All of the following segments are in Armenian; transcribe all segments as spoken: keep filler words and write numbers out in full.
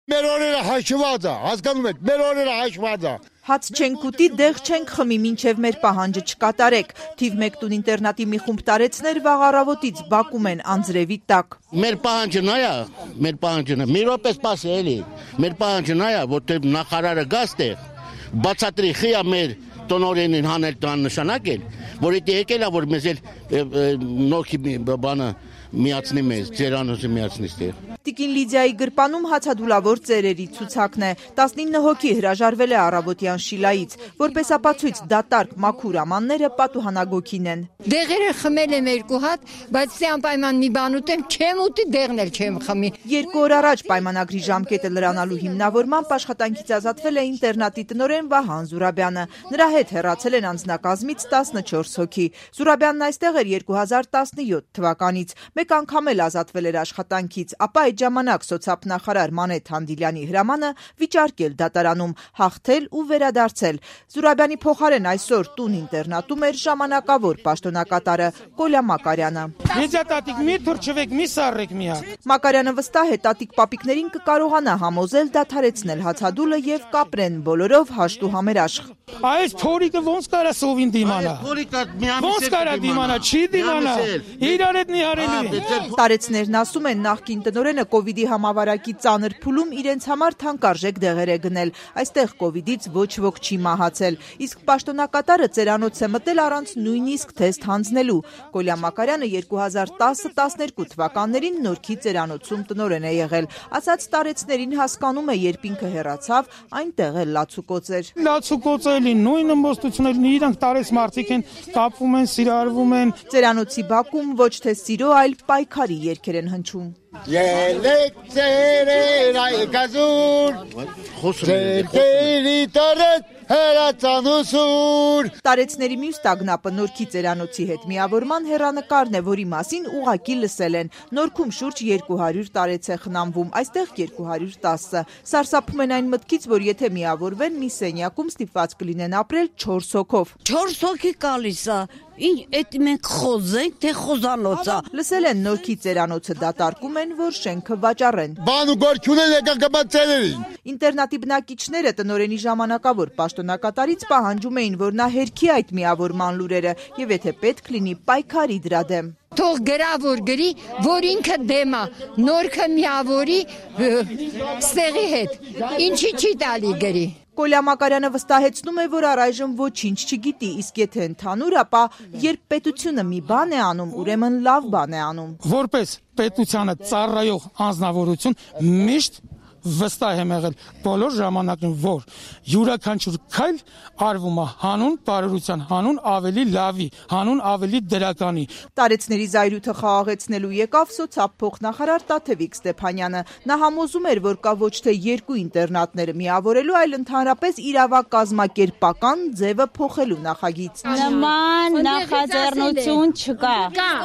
Մեր օրերը հաշված է, հասկանում եք, մեր օրերը հաշված է։ Հաց չենք ուտի, դեղ չենք խմի, մինչև մեր պահանջը չկատարեք։ Թիվ մեկ տուն ինտերնատի մի խումբ տարեցներ վաղ առավոտից բակում են անձրևի տակ։ Մեր պահանջը նա է, մեր պահանջը նա, մի րոպե սպասի էլի։ Մեր պահանջը նա է, որտեղ նախարարը գաստեղ, բացատրի խիա մեր տնօրենին հանել տան նշանակել, որ դա եկել է, որ մեզ էլ նոքի բանը միացնի մեզ, ծերանոցը միացնի ստեղ։ Տիկին Լիդիայի գրպանում հացադուլավոր ծերերի ցուցակն է։ տասնինը հոգի հրաժարվել է առավոտյան Շիլայից, որպես ապացույց դատարկ մաքուր ամանները պատուհանագոքին են։ Դեղերը խմել եմ երկու հատ, բայց դե անպայման մի բան ուտեմ, չեմ ուտի, դեղն էլ չեմ խմի։ Երկու օր առաջ պայմանագրի ժամկետը լրանալու հիմնավորմամբ աշխատանքից ազատվել է ինտերնատի տնօրեն Վահան Զուրաբյանը։ Նրա հետ հեռացել են անձնակազմից տասնչորս հոգի։ Զուրաբյանն այստեղ էր երկու հազար տասնյոթ թվականից։ Մեկ անգամ էլ ազատվել էր աշխատանքից, ապա այդ ժամանակ սոցիալնախարար Մանեթ Հանդիլյանի հրամանը վիճարկել դատարանում, հաղթել ու վերադարձել։ Զուրաբյանի փոխարեն այսօր տուն ինտերնատում էր ժամանակավոր պաշտոնակատարը Կոլյա Մակարյանը։ Եջա տատիկ մի թուրչվեք, մի սառեք մի հատ։ Մակարյանը վստահ է տատիկ պապիկներին կկարողանա համոզել դադարեցնել հացադուլը եւ կապրեն բոլորով հաշտ ու համերաշխ։ Այս փորիկը ոնց կարա սովին դիմանա։ Ոնց կարա դիմանա, չի դիմանա։ Իրար հետ նիհարելի։ Տարեցներն ասում են նախկին տնօրենը կովիդի համավարակի ծանր փուլում իրենց համար թանկարժեք դեղեր է գնել։ Այստեղ կովիդից ոչ ոք չի մահացել, իսկ պաշտոնակատարը ծերանոց է մտել առանց նույնիսկ թեստ հանձնելու։ Կոլյա Մակարյանը երկու հազար տասը տասներկու թվականներին Նորքի ծերանոցում տնօրեն է եղել։ Ասած տարեցներին հասկանում է, երբ ինքը հեռացավ, այնտեղ էլ լացուկոծ էր։ Լացուկոծ էլի նույն ըմբոստություններն իրանք տարեց մարդիկ են կապվում են, սիրարվում են։ Ծերանոցի բակում ոչ թե սիրո, այլ պայքարի երգեր են հնչում։ Ելեք ծերեր այգազուր, ծերկերի տարեց հերացանուսուր։ Տարեցների մյուս տագնապը Նորքի ծերանոցի հետ միավորման հեռանկարն է, որի մասին ուղակի լսել են։ Նորքում շուրջ երկու հարյուր տարեց է խնամվում, այստեղ երկու հարյուր տասը։ Սարսափում են այն մտքից, որ եթե միավորվեն, մի սենյակում ստիպված կլինեն ապրել չորս հոգով։ Չորս հոգի գալիս է։ Ինչ էդ մենք խոզենք, թե խոզանոցա։ Լսել են Նորքի ծերանոցը դատարկում են, որ շենքը վաճառեն։ Բան ու գործ չունեն եկան կպած ծերերին։ Ինտերնատի բնակիչները տնօրենի ժամանակավոր պաշտոնակատարից պահանջում էին, որ նա հերքի այդ միավորման լուրերը եւ եթե պետք լինի պայքարի դրա դեմ։ Թող գրա, որ գրի, որ ինքը դեմ է, Նորքը միավորի ստեղի հետ, ինչի չի տալի գրի։ Կոլյա Մակարյանը վստահեցնում է, որ առայժմ ոչինչ չգիտի, իսկ եթե ընդհանուր, ապա երբ պետությունը մի բան է անում, ուրեմն լավ բան է անում։ Որպես պետությանը ծառայող անձնավորություն միշտ վստահ եմ եղել բոլոր ժամանակներում, որ յուրաքանչյուր քայլ արվում է հանուն բարօրության, հանուն ավելի լավի, հանուն ավելի դրականի։ Տարեցների զայրույթը խաղաղեցնելու եկավ սոցիալ փոխնախարար Տաթևիկ Ստեփանյանը։ Նա համոզում էր, որ կա ոչ թե երկու ինտերնատները միավորելու, այլ ընդհանրապես իրավակազմակերպական ձևը փոխելու նախագիծ։ Նման նախաձեռնություն չկա։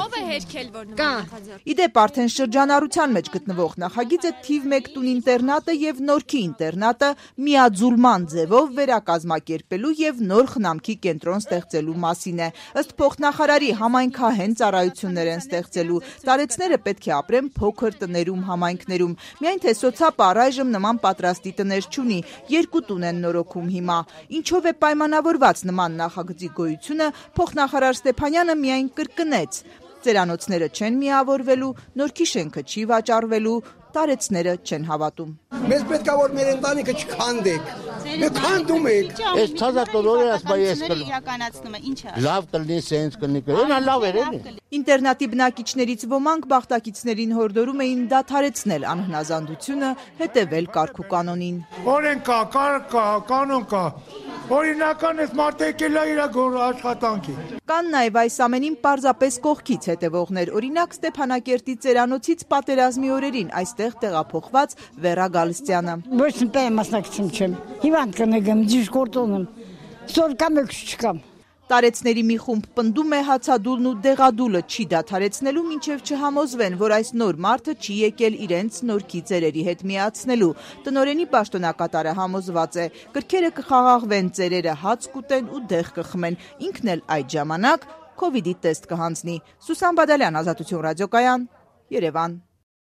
Ով է հերքել, որ նման նախաձեռնություն։ Իդեպ արդեն շրջանառության մեջ գտնվող նախագիծը թիվ մեկ տուն ինտերնատը եւ Նորքի ինտերնատը միաձուլման ձևով վերակազմակերպելու եւ նոր խնամքի կենտրոն ստեղծելու մասին է։ Ըստ փոխնախարարի համայնքահեն ծառայություններ են ստեղծելու։ Տարեցները պետք է ապրեն փոքր տներում, համայնքներում։ Միայն թե սոցիալը առայժմ նման պատրաստի տներ չունի։ Երկու տուն են նորոգում հիմա։ Ինչով է պայմանավորված նման նախագծի գոյությունը, փոխնախարար Ստեփանյանը միայն կրկնեց։ Ծերանոցները չեն միավորվելու, Նորքի շենքը չի վաճառվելու, տարեցները չեն հավատում։ Մեզ պետք է որ մեր ընտանիքը չքանդեք։ Մենք քանդում ենք։ Այս ցածակորորը ասում ես իրականացնում է, ինչ է։ լավ կլինի, սենց կլինի, նա լավ էր էլի։ Ինտերնատի բնակիչներից ոմանք բախտակիցներին հորդորում էին դադարեցնել անհնազանդությունը, հետևել կարգ ու կանոնին։ Օրենք կա, կարգ կա, կանոն կա։ Օրինական էս մարդը եկել է իր աշխատանքի։ Կան նաև այս ամենին պարզապես կողքից հետևողներ, օրինակ Ստեփանակերտի ծերանոցից պատերազմի օրերին այստեղ տեղափոխված Վերա Գալստյանը։ Ոչ մի մասնակցում չեմ։ Հիվանդ կնեգեմ, դիշկորտոն եմ։ Սոր կամ եք չկամ։ Տարեցների մի խումբ պնդում է հացադուլն ու դեղադուլը չի դադարեցնելու, մինչև չհամոզվեն, որ այս նոր մարդը չի եկել իրենց Նորքի ծերերի հետ միացնելու։ Տնօրենի պաշտոնակատարը համոզված է, կրքերը կխաղաղվեն, ծերերը հաց կուտեն ու դեղ կխմեն, ինքն էլ այդ ժամանակ կովիդի տեստ կհանձնի։ Սուսան Բադալյան, Ազատություն ռադիոկայան, Երևան։